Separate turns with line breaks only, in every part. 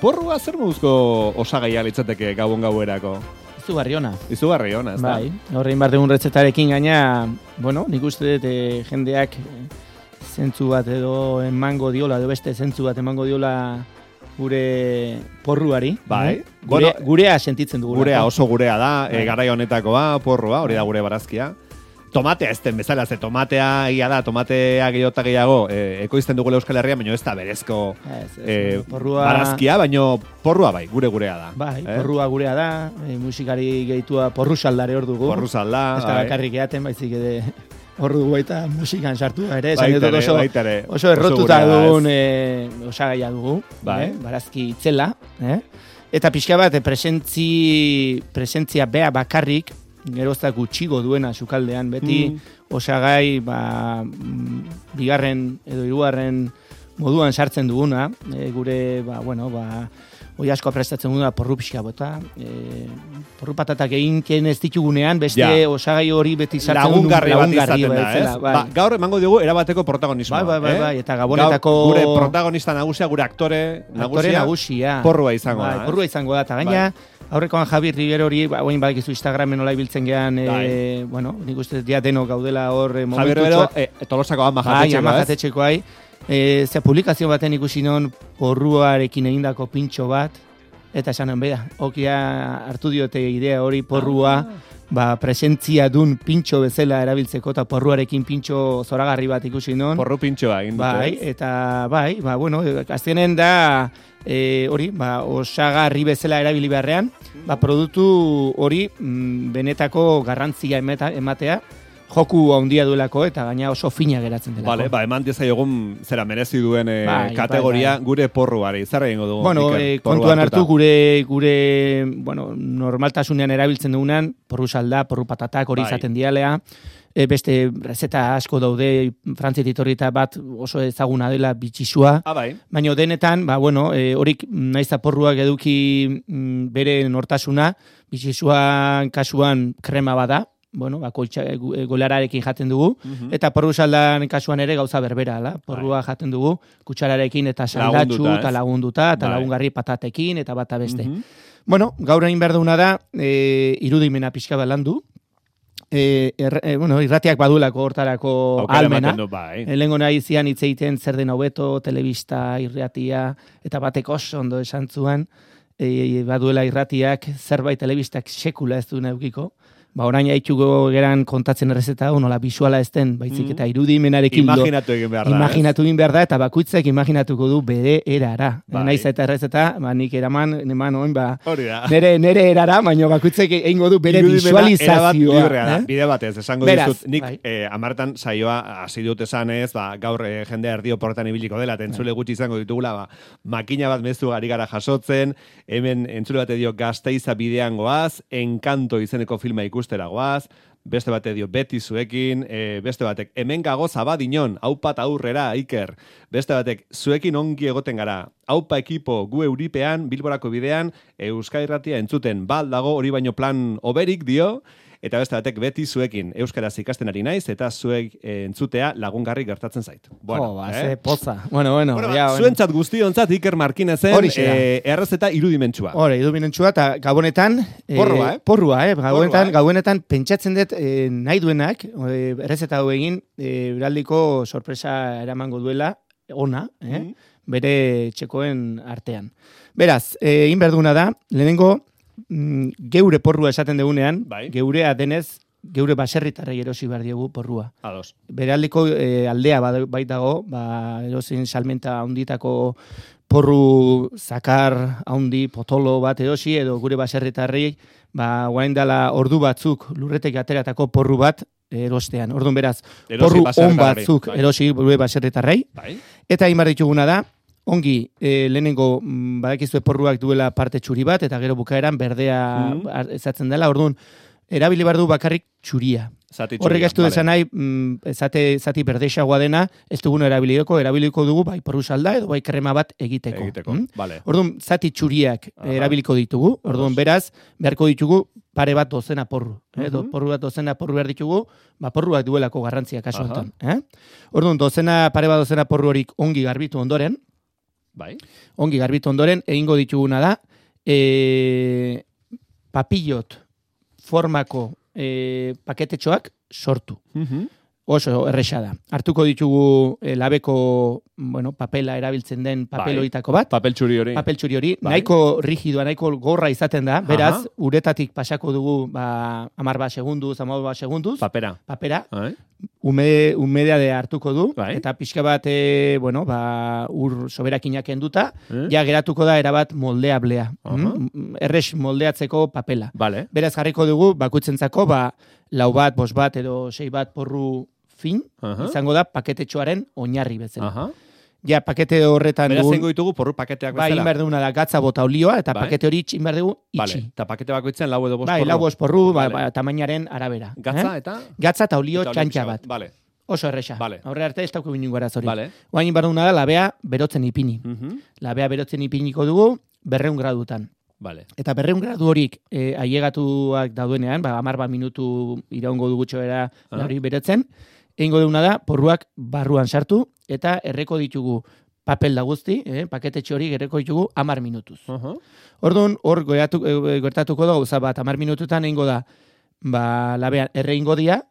porrua zer moduzko osagaia litzateke gabon gauerako?
Izugarri ona, ez da?
Bai,
horrein bar dugun retzetarekin gaina, nik uste dut jendeak zentzu bat edo emango diola, edo beste zentzu bat emango diola gure porruari.
Bai.
Gurea sentitzen dugu.
Gurea, oso gurea da, garai honetakoa, porrua, hori da gure barazkia. Tomatea ez den bezala, ze tomatea egia da, tomatea gehiago ekoizten dugule Euskal Herria, baina ez da berezko barazkia, baina porrua bai, gurea da.
Bai, porrua gurea da, musikari gehitua porru saldare hor dugu.
Porru salda.
Ez da bakarrik eaten, baizik ere hor dugu baita musikan sartu, ere, oso errotuta dugun osagaia dugu, barazki itzela, eta pixka bat presentzia bea bakarrik, geroztak gutxigo duena sukaldean, beti osagai bigarren edo hirugarren moduan sartzen duguna, gure, oi asko prestatzen duguna porru pixka bota, porru patatak egin ez ditugunean, beste osagai hori beti sartzen duen lagungarri bat.
Gaur emango dugu erabateko protagonismoa.
Bai, eta gabonetako...
Gure protagonista nagusia, gure aktore nagusia, porrua izango da.
Porrua izango da, eta gaina, aurrekoan Javi Rivero hori, oin badakizu Instagramen nola ibiltzen gean, nik uste ja denok gaudela hor
Javi Rivero, Tolosako
amajatetxekoa. Ze publikazio baten ikusi non porruarekin egindako pintxo bat, eta esanen beda, okia hartu diote idea hori porrua, presentzia dun pintxo bezala erabiltzeko, eta porruarekin pintxo zoragarri bat ikusi non.
Porru pintxoa egin dute.
Bai, eta aztenen da, hori, osagarri bezala erabili beharrean, produktu hori benetako garrantzia ematea, joku handia duelako eta gaina oso fina geratzen delako.
Vale, eman diezaiogun zera merezi duen kategoria gure porruari. Zer egingo dugu?
Kontuan hartu gure normaltasunean erabiltzen dugunan, porru salda, porru patatak hori izaten dialea, beste rezeta asko daude, Frantziat etorrita bat oso ezaguna dela bitxisua, baina denetan, horik naiza porruak eduki bere nortasuna, bitxisuan kasuan krema bada, golararekin jaten dugu, eta porru saldan kasuan ere gauza berbera, porrua jaten dugu, kutsararekin eta saldatxu, eta lagunduta, eta lagungarri patatekin, eta bata beste. Gaur egin behar duguna da, irudimena pixka bat landu, irratiak badulako hortarako almena. Lehengo nahi zian hitz egiten zer den hobeto, telebista, irratia, eta batek oso ondo esan zuan, baduela irratiak, zerbait telebistak sekula ez du neukiko, orain haituko geran kontatzen errezeta, nola bisuala ez den, baizik eta irudimenarekin
imaginatu egin behar da,
eta bakuitzak imaginatuko du bere erara. Naiz eta errezeta, nik eraman, nere erara, baina bakuitzak egingo du bere visualizazioa.
Bide batez, esango dizut, nik amartan saioa hasi dut esanez, gaur jendea erdio portan ibiliko dela, entzule gutxi izango ditugula, makina bat mezu ari gara jasotzen, hemen entzule bate dio Gasteiza bidean goaz, Encanto izeneko filma ikusteragoaz, beste bate dio beti zuekin, beste batek hemen gago zabadinon, aupat aurrera, Iker, beste batek zuekin ongi egoten gara, aupa ekipo gu euripean, Bilborako bidean, Euskal Irratia entzuten bal dago, hori baino plan oberik dio, eta beste batek beti zuekin euskaraz ikasten ari naiz, eta zuek entzutea lagungarri gertatzen zait.
Ze poza.
Zuentzat guztiontzat Iker Markinezen errezeta irudimentsua.
Irudimentsua, eta gabonetan porrua, gabonetan pentsatzen dut nahi duenak, errezeta hau egin, beraldiko sorpresa eramango duela, ona, bere txekoen artean. Beraz, egin berduna da, lehenengo, geure porrua esaten degunean, geurea denez, geure baserritarrei erosi behar diegu porrua. Beraldiko aldea baitago, erosin salmenta handitako porru zakar handi potolo bat erosi, edo gure baserritarrei, guain dela ordu batzuk lurretek ateratako porru bat erostean. Orduan beraz, porru on batzuk erosi gure baserritarrei, eta egin behar dituguna da, ongi, lehenengo badakizue porruak duela parte txuri bat, eta gero bukaeran berdea ezatzen dela, orduan, erabili behar du bakarrik txuria. Horrek ez du desan nahi, zati berdexagoa dena, ez dugun erabiliko dugu, bai porru salda edo bai krema bat egiteko. Orduan, zati txuriak erabiliko ditugu, orduan beraz, beharko ditugu pare bat dozena porru. Porru bat dozena porru behar ditugu, porruak duelako garrantzia kasu honetan. Orduan, pare bat dozena porru horik ongi garbitu ondoren,
Bai.
Ongi garbitu ondoren, egingo dituguna da, papillot formako paketetxoak sortu. Oso erresa da. Hartuko ditugu labeko, papela erabiltzen den papeloitako bat.
Papel txuri hori.
Papel txuri hori. Nahiko rigidoa, nahiko gorra izaten da. Beraz, uretatik pasako dugu 10 segunduz, 15 segunduz. Papera. Humedade hartuko du. Eta pixka bat, ur soberakinak enduta, ja geratuko da erabat moldeablea. Erres moldeatzeko papela. Beraz, jarriko dugu, bakutzentzako, 4 bat, 5 bat edo 6 bat porru fin, izango da paketetxoaren oinarri bezala. Ja, pakete horretan...
Beraz, zengo ditugu porru paketeak bezala?
Bai, inbar duguna da gatza bota olioa, eta pakete hori inbar dugu itxi.
Eta pakete bakoitzen 4 edo 5 porru?
Bai, 4 edo 5 porru, tamainaren arabera.
Gatza eta?
Gatza eta olio txantxa bat. Oso erresa. Horre arte ez dauko binungo arazori. Oain inbar duguna da, labea berotzen ipini. Labea berotzen ipiniko dugu 200 gradutan. Eta 200 gradu horik ailegatuak daudenean, 10 minutu iraungo dugu txoera hori berotzen, egingo duguna da, porruak barruan sartu, eta erreko ditugu papel da guzti, paketetxe hori erreko ditugu 10 minutuz. Orduan, hor gertatuko da, gauza bat, 10 minututan egingo da, labean erre ingo dia,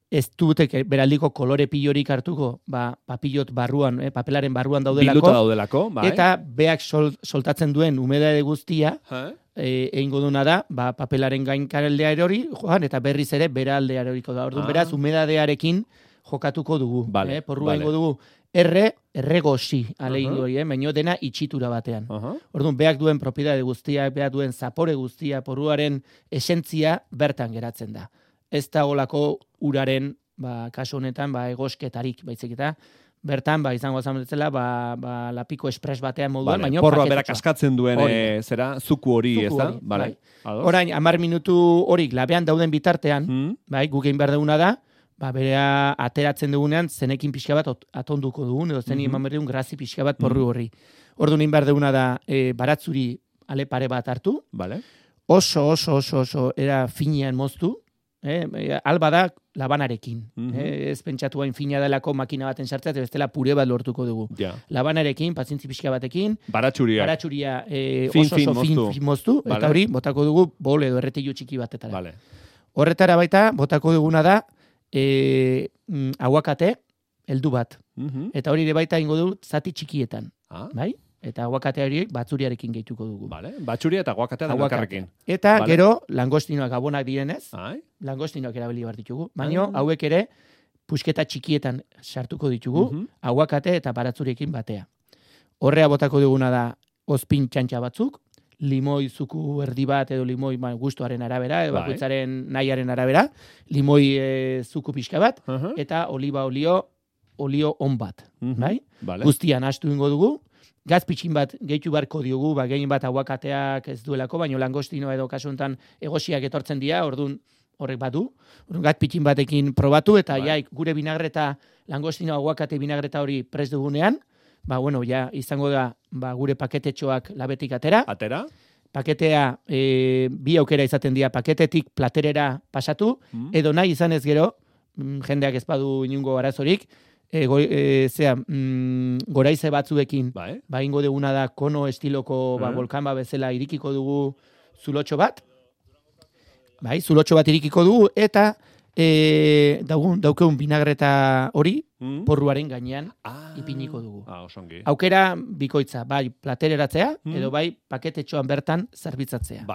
ez dutek beraldiko kolore pilorik hartuko, papillot barruan, papelaren barruan daudelako.
Bilduta daudelako, bai.
Eta beak soltatzen duen humedade guztia, egingo duna da, papelaren gainkaraldea erori, eta berriz ere bera aldea eroriko da. Orduan, beraz, humedadearekin jokatuko dugu. Porrua egingo dugu, erregosi, alegingo hori, baino dena itxitura batean. Orduan, beak duen propiedade guztia, beak duen zapore guztia, porruaren esentzia bertan geratzen da. Ez da olako uraren, kasu honetan, egosketarik, baizik eta, bertan, izango zametzela, lapiko espres batean moduan, baina
porroa berak askatzen duen, zera, zuku hori, ez da?
Orain, 10 minutu horik labean dauden bitartean, guk egin behar duguna da, berea ateratzen dugunean, zenekin pixka bat atonduko dugun, edo zen eman behar dugun grazi pixka bat porru horri. Orduan egin behar duguna da, baratzuri ale pare bat hartu, oso, era finean moztu, alba da labanarekin. Ez pentsatu hain fina delako makina baten sartzea, eta bestela pure bat lortuko dugu. Labanarekin, pazientzi pixka batekin, baratsuria oso fin moztu, eta hori botako dugu bol edo erretilu txiki batetara. Horretara baita, botako duguna da aguakate heldu bat. Eta hori ere baita ingo du zati txikietan. Bai? Eta aguakatea hori batzuriarekin gehituko dugu.
Batzuria eta aguakatea da bakarrekin.
Eta gero, langostinoak gabonak direnez, langostinoak erabili behar ditugu. Baina hauek ere, pusketa txikietan sartuko ditugu, aguakate eta baratzuriekin batea. Horrea botako duguna da, ozpin txantxa batzuk, limoi zuku erdi bat edo limoi gustuaren arabera, edo bakoitzaren nahiaren arabera, limoi zuku pixka bat, eta oliba olio on bat. Guztian astu ingo dugu, gaz pitxin bat gehitu barko diogu, gehien bat aguakateak ez duelako, baina langostino edo kasuntan egosiak etortzen dira, orduan horrek badu. Gaz pitxin batekin probatu, eta gure binagreta, langostino aguakate binagreta hori prest dugunean, izango da gure paketetxoak labetik atera. Paketea, bi aukera izaten dira, paketetik platerera pasatu, edo nahi izan ez gero, jendeak ez badu inungo arazorik, goraize batzuekin, ingo duguna da kono estiloko volkan bezala irikiko dugu zulotxo bat, zulotxo bat irikiko dugu, eta daukeun binagreta hori porruaren gainean ipiniko dugu. Aukera bikoitza, platereratzea, edo paketetxoan bertan zerbitzatzea.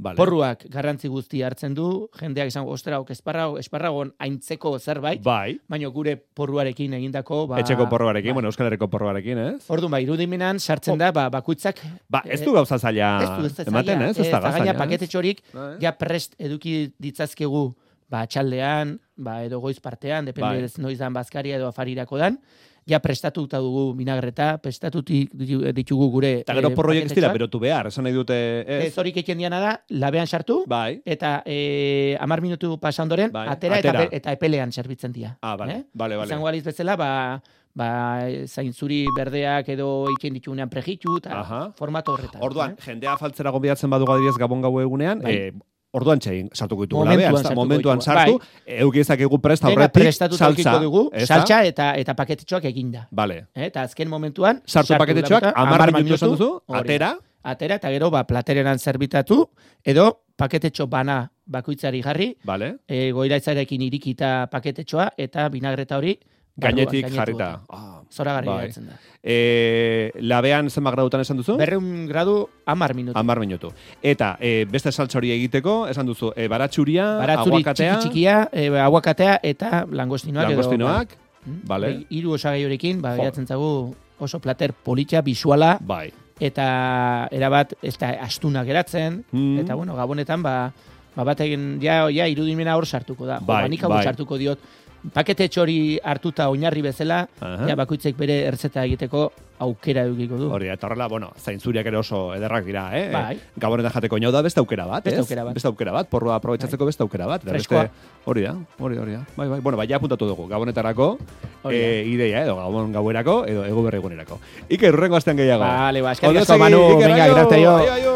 Porruak garrantzi guzti hartzen du, jendeak izango, esparragon aintzeko zerbait, baina gure porruarekin egindako...
Etxeko porruarekin, Euskal Herriko porruarekin, ez?
Orduan, irudimenan sartzen da, bakuitzak...
Ez du gauza zaila ematen, ez? Ez da gauza zaila,
paketetxorik, ja prest eduki ditzazkegu, txaldean, edo goiz partean, depende noiz dan bazkaria edo afarirako dan, ja prestatuta dugu binagreta, prestatu ditugu gure...
Eta gero porroiek ez dira berotu behar, esan nahi dute... Ez
horik eken diana da, labean sartu, eta 10 minutu pasandoren, atera eta epelean zerbitzen dira.
Bale.
Izango aliz bezala, zainzuri berdeak edo iken ditugunean prejitu, eta formato horretan.
Orduan, jendea faltzera gonbidatzen badugu adibidez Gabon gau egunean, orduan txein sartuko ditugula momentuan sartu, eukizak egu prest aurretik
saltza eta paketetxoak eginda.
Vale.
Eta azken momentuan
sartu paketetxoak 10 minutu esan duzu,
atera eta gero platereran zerbitatu edo paketetxo bana bakoitzari jarri.
Vale.
Goiraitzarekin irikita paketetxoa eta vinagreta hori
gainetik jarrita.
Zoragarri geratzen da.
Labean zenbat gradutan esan duzu?
200 gradu 10 minutu.
10 minutu. Eta beste saltsa hori egiteko, esan duzu, baratzuria, aguakatea,
txikia, aguakatea eta langostinoak.
Langostinoak, vale.
3 osagai horekin, geratzen zaigu oso plater politxa, bisuala,
bai.
Eta erabat ez da astuna geratzen, eta bueno, gabonetan batekin ja irudimena hor sartuko da. Nik hau sartuko diot, pakete txori hartuta oinarri bezala, ja bakoitzek bere ertzeta egiteko aukera edukiko du.
Hori, eta horrela, zaintzuriak ere oso ederrak dira, Bai. Gabonetan jateko inau da beste aukera bat, Beste aukera bat, porrua aprobetsatzeko beste aukera bat.
Freskoa.
Hori da. Bai. Bueno, ja apuntatu dugu, gabonetarako, ideia, edo gauerako, edo ego berri egunerako. Iker, urrengo astean gehiago.
Vale, eskerrik asko, Manu, venga, gracias yo.